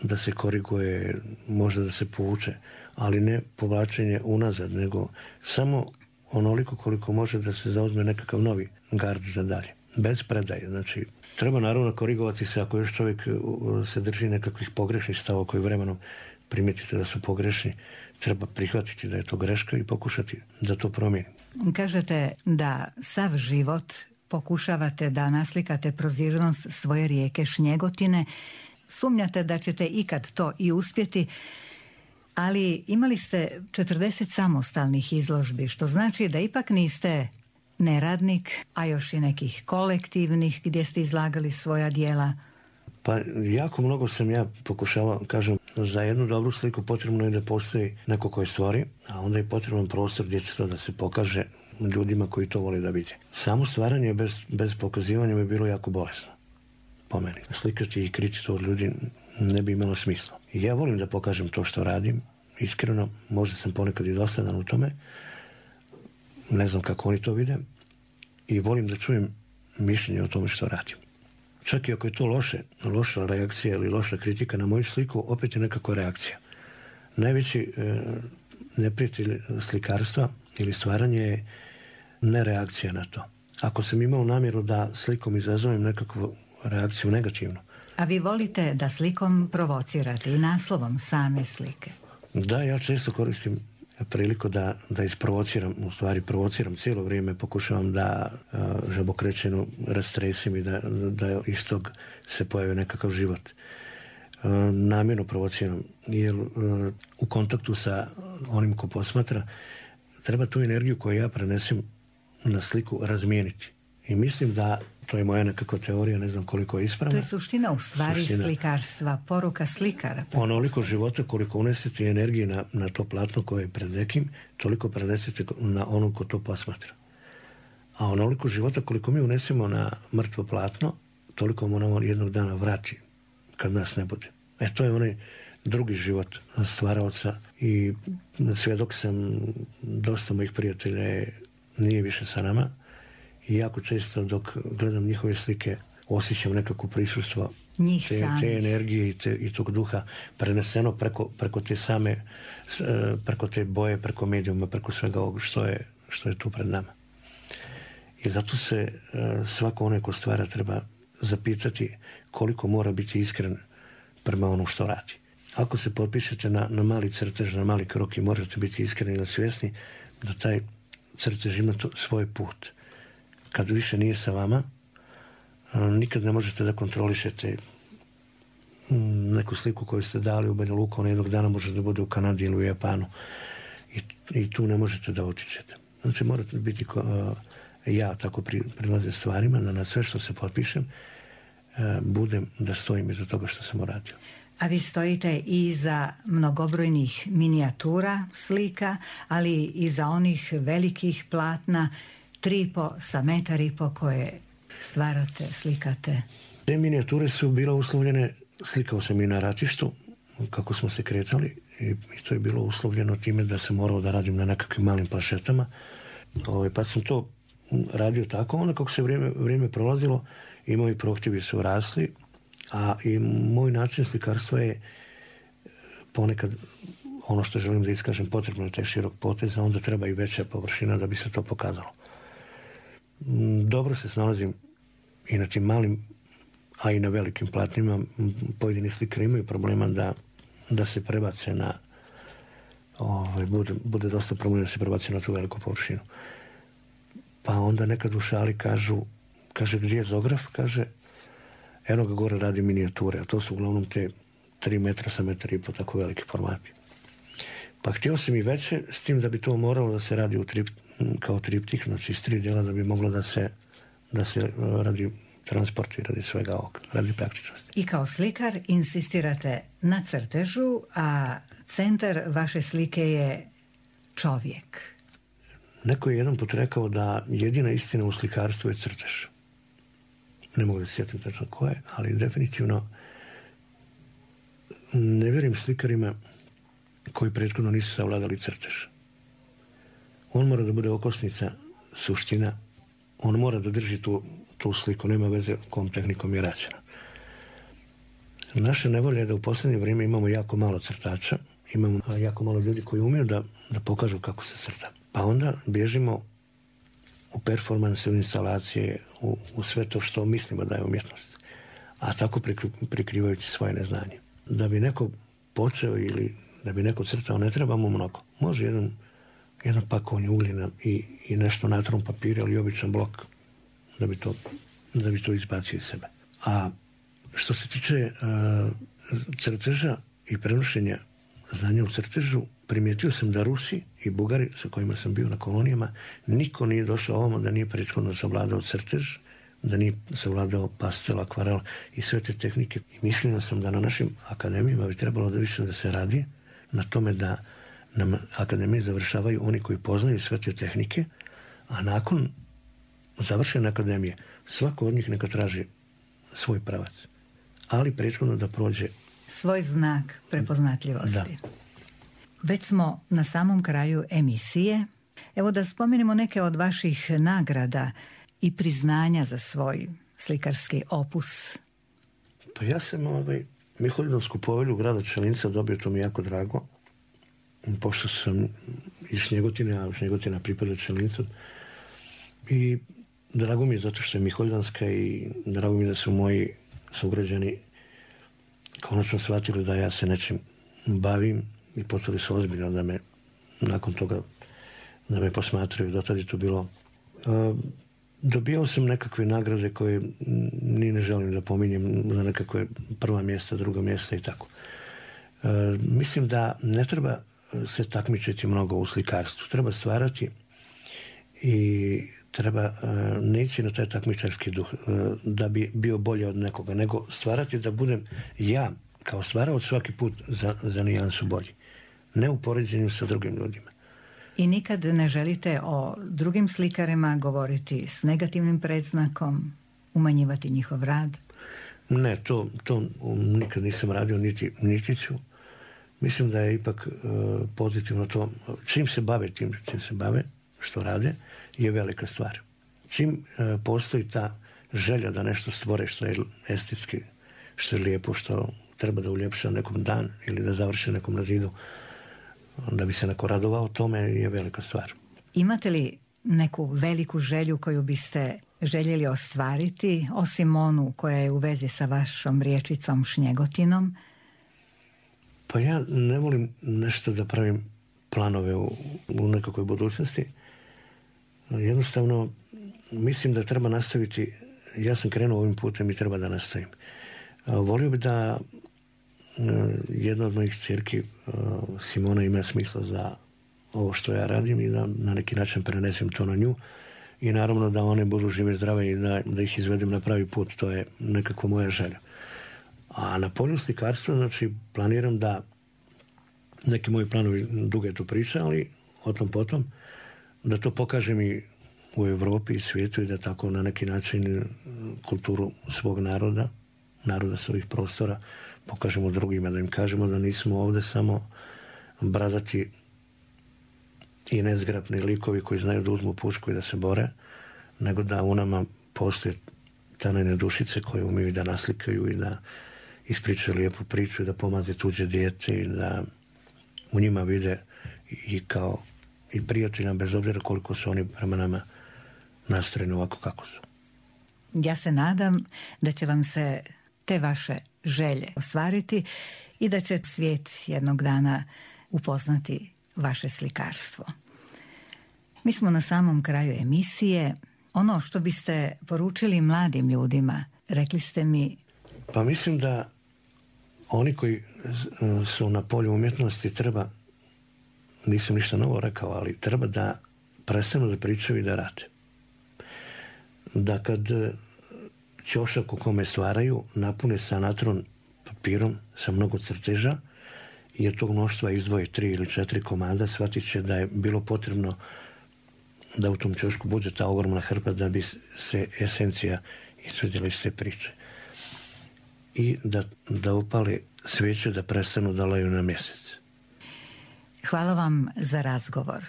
da se koriguje, možda da se povuče, ali ne povlačenje unazad, nego samo onoliko koliko može da se zauzme nekakav novi gard za dalje. Bez predaje. Znači, treba naravno korigovati se ako još čovjek se drži nekakvih pogrešnih stavova koji vremenom primijetite da su pogrešni. Treba prihvatiti da je to greška i pokušati da to promijeni. Kažete da sav život pokušavate da naslikate prozirnost svoje rijeke Šnjegotine. Sumnjate da ćete ikad to i uspjeti, ali imali ste četrdeset samostalnih izložbi, što znači da ipak niste neradnik, a još i nekih kolektivnih gdje ste izlagali svoja djela. Pa jako mnogo sam ja pokušavao, kažem, za jednu dobru sliku potrebno je da postoji neko koji stvori, a onda je potreban prostor gdje će to da se pokaže ljudima koji to vole da vide. Samo stvaranje bez, bez pokazivanja bi bilo jako bolesno, po meni. Slikati i kriti to od ljudi ne bi imalo smisla. I ja volim da pokažem to što radim, iskreno, možda sam ponekad i dosadan u tome, ne znam kako oni to vide, i volim da čujem mišljenje o tome što radim. Čak i ako je to loše, loša reakcija ili loša kritika na moju sliku, opet je nekakva reakcija. Najveći e, neprijatelj slikarstva ili stvaranje je nereakcija na to. Ako sam imao namjeru da slikom izazovem nekakvu reakciju negativnu. A vi volite da slikom provocirate i naslovom same slike? Da, ja često koristim priliku da, da isprovociram, u stvari provociram cijelo vrijeme, pokušavam da uh, žabokrećenu rastresim i da, da iz tog se pojavi nekakav život. Uh, namjerno provociram, jer uh, u kontaktu sa onim ko posmatra treba tu energiju koju ja prenesem na sliku razmijeniti. I mislim da, to je moja nekakva teorija, ne znam koliko je ispravna. To je suština u stvari suština. Slikarstva, poruka slikara. Onoliko života koliko unesete energije na, na to platno koje je pred nekim, toliko prenesete na onog ko to posmatra. A onoliko života koliko mi unesemo na mrtvo platno, toliko moramo jednog dana vrati kad nas ne bude. E to je onaj drugi život stvaraoca i svjedok sam, dosta mojih prijatelja nije više sa nama. I jako često dok gledam njihove slike osjećam nekako prisustvo te, te energije i, te, i tog duha preneseno preko, preko te same, preko te boje, preko medijuma, preko svega ovog što je, što je tu pred nama. I zato se svako onaj ko stvara treba zapitati koliko mora biti iskren prema onom što radi. Ako se potpišete na, na mali crtež, na mali krok i možete biti iskreni i svjesni da taj crtež ima to, svoj put. Kad više nije sa vama, nikad ne možete da kontrolišete neku sliku koju ste dali u Banja Luka, ona jednog dana može da bude u Kanadi ili u Japanu. I, i tu ne možete da otičete. Znači morate biti ko, uh, ja tako pri, prilazim stvarima, da na sve što se potpišem uh, budem da stojim iza toga što sam uradio. A vi stojite i za mnogobrojnih minijatura slika, ali i za onih velikih platna, tri i po sa metar i po koje stvarate, slikate. Te minijature su bile uslovljene, slikao sam i na ratištu, kako smo se kretali, i, i to je bilo uslovljeno time da sam morao da radim na nekakvim malim plašetama. Ovaj, pa sam to radio tako, onda kako se vrijeme, vrijeme prolazilo i moji prohtjevi su rasli, a i moj način slikarstva je ponekad ono što želim da iskažem potrebno je taj širok potez, a onda treba i veća površina da bi se to pokazalo. Dobro se snalazim i na tim malim, a i na velikim platnima. Pojedini slikari imaju problema da, da se prebace na ovaj, bude, bude dosta problema da se prebace na tu veliku površinu. Pa onda nekad u šali kažu, kaže gdje je zograf, kaže eno ga gore radi minijature, a to su uglavnom te tri metra sa metar i po tako veliki formati. Pa htio sam i veće, s tim da bi to moralo da se radi u trip, kao triptih, znači iz tri djela da bi moglo da se, da se radi transport i radi svega ovoga, radi praktičnosti. I kao slikar insistirate na crtežu, a centar vaše slike je čovjek. Neko je jedan put rekao da jedina istina u slikarstvu je crtež. Ne mogu da se sjetim tačno ko je, ali definitivno ne vjerujem slikarima koji prethodno nisu savladali crtež. On mora da bude okosnica, suština, on mora da drži tu, tu sliku, nema veze kom tehnikom je rađena. Naša nevolja je da u posljednje vrijeme imamo jako malo crtača, imamo jako malo ljudi koji umiju da, da pokažu kako se crta. Pa onda bježimo u performanse, u instalacije, u, u sve to što mislimo da je umjetnost. A tako prikrivajući svoje neznanje. Da bi neko počeo ili da bi neko crtao, ne treba mu mnogo. Može jedan, jedan pakovanje ugljena i, i nešto na trom papira ili običan blok da bi to, da bi to izbacio iz sebe. A što se tiče uh, crteža i prenošenja znanja u crtežu, primijetio sam da Rusi i Bugari sa kojima sam bio na kolonijama, niko nije došao ovamo da nije prethodno savladao crtež, da nije savladao pastel, akvarel i sve te tehnike. I mislio sam da na našim akademijama bi trebalo da više da se radi na tome da nam akademije završavaju oni koji poznaju sve te tehnike, a nakon završene akademije svako od njih neka traži svoj pravac, ali prethodno da prođe svoj znak prepoznatljivosti. Da. Već smo na samom kraju emisije. Evo da spomenemo neke od vaših nagrada i priznanja za svoj slikarski opus. Pa ja sam ovaj, Miholjdansku povelju grada Čelinca dobio, to mi jako drago. Pošto sam iz Šnjegotine, a Šnjegotina pripada Čelincu. I drago mi je zato što je Miholjdanska i drago mi je da su moji sugrađani konačno shvatili da ja se nečim bavim i počeli su ozbiljno da me nakon toga da me posmatraju. Do tada je to bilo. Uh, dobijao sam nekakve nagrade koje ni ne želim da pominjem, za nekakve prva mjesta, druga mjesta i tako. Uh, mislim da ne treba se takmičiti mnogo u slikarstvu. Treba stvarati i treba uh, neći na taj takmičarski duh uh, da bi bio bolje od nekoga, nego stvarati da budem ja kao stvarao svaki put za, za nijansu bolji. Ne u poređenju sa drugim ljudima. I nikad ne želite o drugim slikarima govoriti s negativnim predznakom, umanjivati njihov rad? Ne, to, to nikad nisam radio, niti, niti ću. Mislim da je ipak uh, pozitivno to. Čim se bave tim, čim se bave, što rade, je velika stvar. Čim uh, postoji ta želja da nešto stvore što je estetski, što je lijepo, što treba da uljepša nekom dan ili da završi nekom na zidu, da bi se neko radovao, tome je velika stvar. Imate li neku veliku želju koju biste željeli ostvariti, osim onu koja je u vezi sa vašom riječicom Šnjegotinom? Pa ja ne volim nešto da pravim planove u, u nekakvoj budućnosti. Jednostavno, mislim da treba nastaviti, ja sam krenuo ovim putem i treba da nastavim. Volio bi da jedna od mojih ćerki, Simona, ima smisla za ovo što ja radim i da na neki način prenesem to na nju. I naravno da one budu žive zdrave i da, da ih izvedem na pravi put. To je nekako moja želja. A na polju slikarstva, znači, planiram da neki moji planovi, duga je to priča, ali o tom potom, da to pokažem i u Europi i svijetu i da tako na neki način kulturu svog naroda, naroda svojih prostora, pokažemo drugima, da im kažemo da nismo ovdje samo bradati i nezgrapni likovi koji znaju da uzmu pušku i da se bore, nego da u nama postoje tanene dušice koje umiju da naslikaju i da ispričaju lijepu priču i da pomaze tuđe dijete i da u njima vide i kao i prijatelja, bez obzira koliko su oni prema nama nastrojeni ovako kako su. Ja se nadam da će vam se te vaše želje ostvariti i da će svijet jednog dana upoznati vaše slikarstvo. Mi smo na samom kraju emisije. Ono što biste poručili mladim ljudima, rekli ste mi... Pa mislim da oni koji su na polju umjetnosti treba, nisam ništa novo rekao, ali treba da prestanu da pričaju i da rade. Da kad ćošak u kome stvaraju napune sa natron papirom sa mnogo crteža i od tog mnoštva izdvoje tri ili četiri komada, shvatit će da je bilo potrebno da u tom ćošku bude ta ogromna hrpa da bi se esencija izvedjela iz te priče. I da, da upale svijeće, da prestanu da laju na mjesec. Hvala vam za razgovor.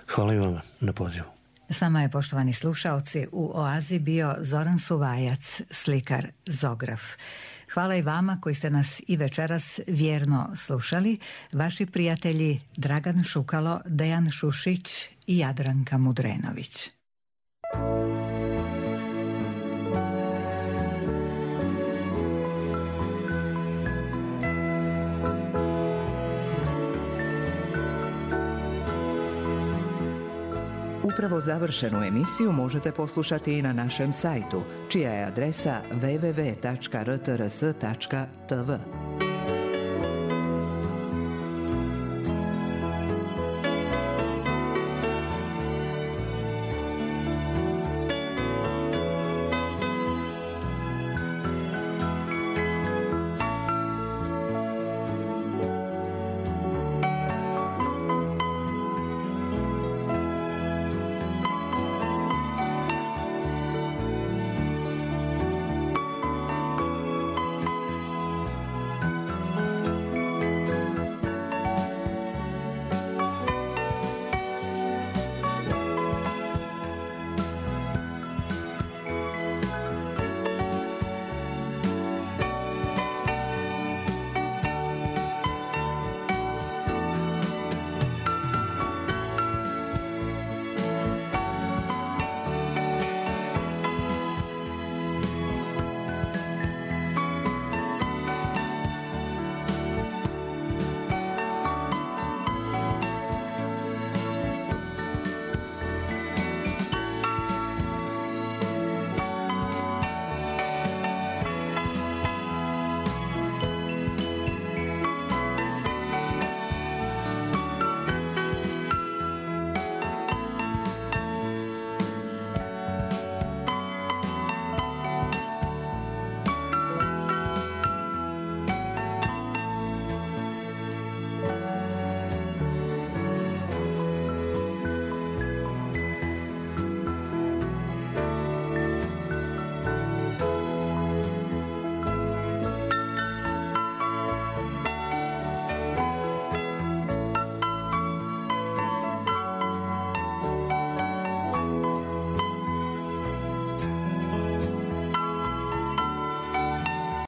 Hvala i vama na pozivu. S nama je, poštovani slušaoci, u Oazi bio Zoran Suvajac, slikar Zograf. Hvala i vama koji ste nas i večeras vjerno slušali, vaši prijatelji Dragan Šukalo, Dejan Šušić i Jadranka Mudrenović. Upravo završenu emisiju možete poslušati i na našem sajtu, čija je adresa w w w tačka r t r s tačka t v.